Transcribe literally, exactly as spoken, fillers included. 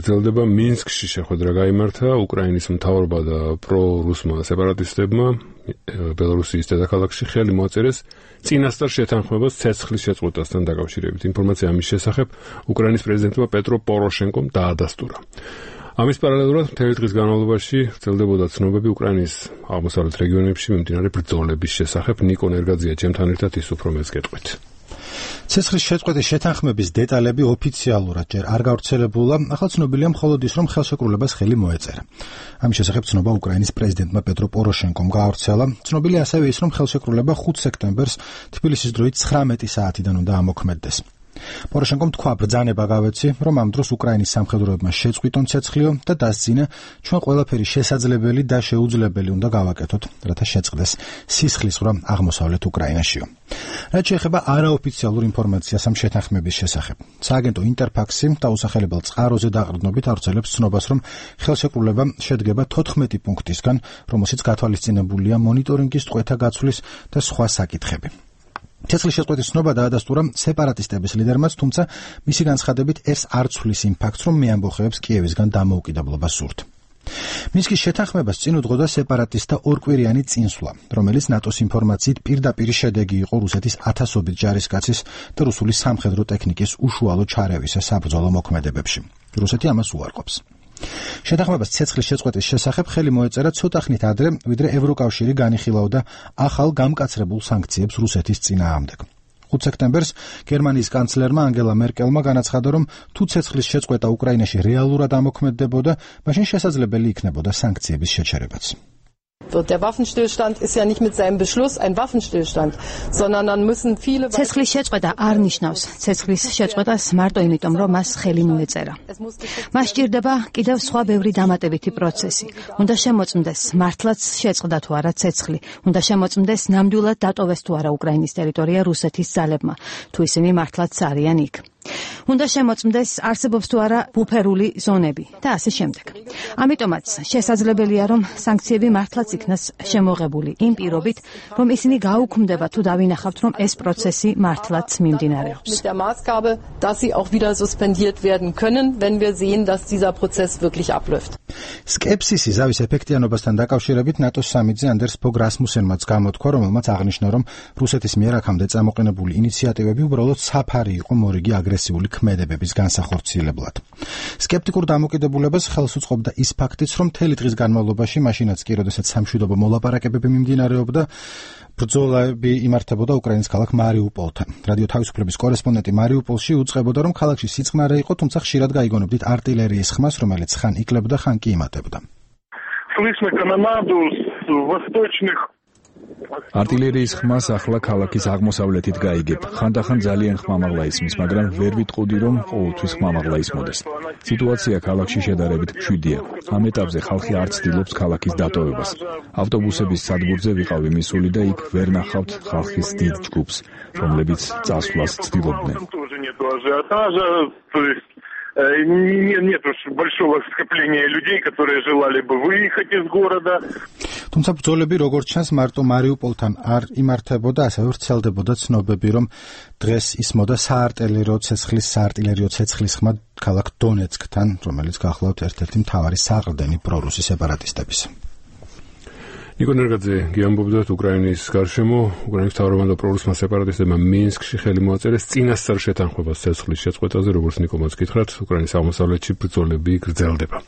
გრძელდება. მინსკში შეხვედრა გაიმართა უკრაინის მთავრობა და პრო-რუსმა სეპარატისტებმა ბელორუსიის დედაქალაქში ხელი მოაწერეს წინასწარ შეთანხმებას ცეცხლის შეწყვეტასთან დაკავშირებით. ინფორმაცია ამის შესახებ უკრაინის პრეზიდენტმა პეტრო პოროშენკომ დაადასტურა. ამის პარალელურად მთელი დღის განმავლობაში ვრცელდებოდა ცნობები უკრაინის აღმოსავლეთ რეგიონებში მიმდინარე ბრძოლების შესახებ. ნიკო ნერგაძია ჩემთან ერთად ის უფრო მეც გეტყვით. ცეცხლის შეწყვეტის შეთანხმების დეტალები ოფიციალურად ჯერ არ გავრცელებულა, ახლა ცნობილია მხოლოდ ის, რომ ხელშეკრულებას ხელი მოეწერა. ამის შესახებ ცნობა უკრაინის პრეზიდენტმა პეტრო პოროშენკომ გაავრცელა. ცნობილია ასევე ის, რომ ხელშეკრულება ხუთი სექტემბერს თბილისის დროით ცხრამეტი საათიდან უნდა ამოქმედდეს. პოროშენკომ თქვა, ბრძანება გავეცი, რომ ამ დროს უკრაინის სამხედროებმა შეწყვიტონ ცეცხლიო და დასძინა, ჩვენ ყველაფერი შესაძლებელი და შეუძლებელი უნდა გავაკეთოთ, რათა შეწყდეს სისხლის ზღვა აღმოსავლეთ უკრაინაშიო. რაც შეეხება არაოფიციალურ ინფორმაციას ამ შეთანხმების შესახებ. სააგენტო ინტერფაქსი დაუსახელებელ წყაროზე დაყრდნობით ავრცელებს ცნობას, რომ ხელშეკრულება შედგება თოთხმეტი პუნქტისგან, რომელშიც გათვალისწინებულია მონიტორინგის წყვეთა გაცვლის და სხვა საკითხები. ცეცხლის შეწყვეტის ცნობა დაადასტურა სეპარატისტების ლიდერმაც, თუმცა მისი განცხადებით ეს არ ცვლის იმ ფაქტს, რომ მეამბოხეებს კიევისგან დამოუკიდებლობა სურთ. მინსკის შეთანხმებას წინ უძღოდა სეპარატისტთა ორკვირიანი წინსვლა, რომელიც ნატოს ინფორმაციით პირდაპირ შედეგი იყო რუსეთის ათასობით ჯარისკაცის და რუსული სამხედრო ტექნიკის უშუალო ჩარევისა საბრძოლო მოქმედებებში. რუსეთი ამას უარყოფს. შეთანხმებას ცეცხლის შეწყვეტის შესახებ ხელი მოეწერა ცოტა ხნით ადრე, ვიდრე ევროკავშირი განიხილავდა ახალ გამკაცრებულ სანქციებს რუსეთის წინააღმდეგ. ხუთი სექტემბერს გერმანიის კანცლერმა ანგელა მერკელმა განაცხადა, რომ თუ ცეცხლის შეწყვეტა უკრაინაში რეალურად ამოქმედდებოდა, მაშინ შესაძლებელი იქნებოდა სანქციების შეჩერებაც. Der Waffenstillstand ist ja nicht mit seinem Beschluss ein Waffenstillstand, sondern dann müssen viele ცეცხლის შეწყვეტა არ ნიშნავს ცეცხლის შეწყვეტას მარტო იმიტომ, რომ მას ხელი მოეწერა. მას სჭირდება კიდევ სხვა ბევრი დამატებითი პროცესი. უნდა შემოწმდეს მართლაც შეწყდა თუ არა ცეცხლი, უნდა შემოწმდეს ნამდვილად დატოვეს თუ არა უკრაინის ტერიტორია რუსეთის ძალებმა, თუ ისინი მართლაც არიან იქ. უნდა შემოწმდეს არსებობს თუ არა ბუფერული ზონები და ასე შემდეგ. ამიტომაც შესაძლებელია, რომ სანქციები მართლაც იქნას შემოღებული იმ პირობით, რომ ისინი გაუქმდება თუ დავინახავთ, რომ ეს პროცესი მართლაც მიმდინარეობს. Mit der Maßgabe, dass sie auch wieder suspendiert werden können, wenn wir sehen, dass dieser Prozess wirklich abläuft. სკეპსისი ზავის ეფექტიანობასთან დაკავშირებით ნატოს სამიტზე ანდერს ფოგ რასმუსენმაც გამოთქვა, რომელმაც აღნიშნა, რომ რუსეთის მიერ აქამდე წამოყენებული ინიციატივები უბრალოდ საფარი იყო მორიგი აგრესიული ქმედებების განსახორციელებლად. სკეპტიკურ დამოკიდებულებას ხელს უწყობდა ის ფაქტიც, რომ მთელი დღის განმავლობაში, მაშინაც კი, როდესაც სამშვიდობო მოლაპარაკებები მიმდინარეობდა, ბრძოლები იმართებოდა უკრაინის ქალაქ მარიუპოლთან. რადიო თავისუფლების კორესპონდენტი მარიუპოლში უწყებოდა, რომ ქალაქში სიწყნარე იყო, თუმცა ხშირად გაიგონებდით артиллерიის ხმას, რომელიც ხან იკლებდა, ხან კი იმატებდა. Слышно канонаду с восточных артиллерიის ხმას ახლა ქალაქის აღმოსავლეთით გაიგებ. ხანდახან ძალიან ხმამაღლა ისმის, მაგრამ ვერ ვიტყოდი, რომ ყოველთვის ხმამაღლა ისმოდეს. სიტუაცია ქალაქში შედარებით მშვიდია. ამ ეტაპზე ხალხი არ ცდილობს ქალაქის დატოვებას. ავტობუსების სადგურზე ვიყავი მისული და იქ ვერ ნახავთ ხალხის დიდ ჯგუფს, რომლებიც წასვლას ცდილობდნენ. Нет уж большого скопления людей, которые желали бы выехать из города. თუმცა ბრძოლები როგორც ჩანს მარტო მარიუპოლთან არ იმართებოდა, ასევე ვრცელდებოდა ცნობები, რომ დღეს ისმოდა საარტილერიო ცეცხლის საარტილერიო ცეცხლის ხმა ქალაქ დონეცკთან, რომელიც გახლავთ ერთ-ერთი მთავარი საყრდენი პრორუსი სეპარატისტების. ნიკო ნერგაძე გიამბობდათ უკრაინის გარშემო, უკრაინის მთავრობამ და პრორუსმა სეპარატისტებმა მინსკში ხელი მოაწერეს წინასწარ შეთანხმებას ცეცხლის შეწყვეტაზე, როგორც ნიკო მოც გითხრათ, უკრაინის აღმოსავლეთში ბრძოლები გრძელდება.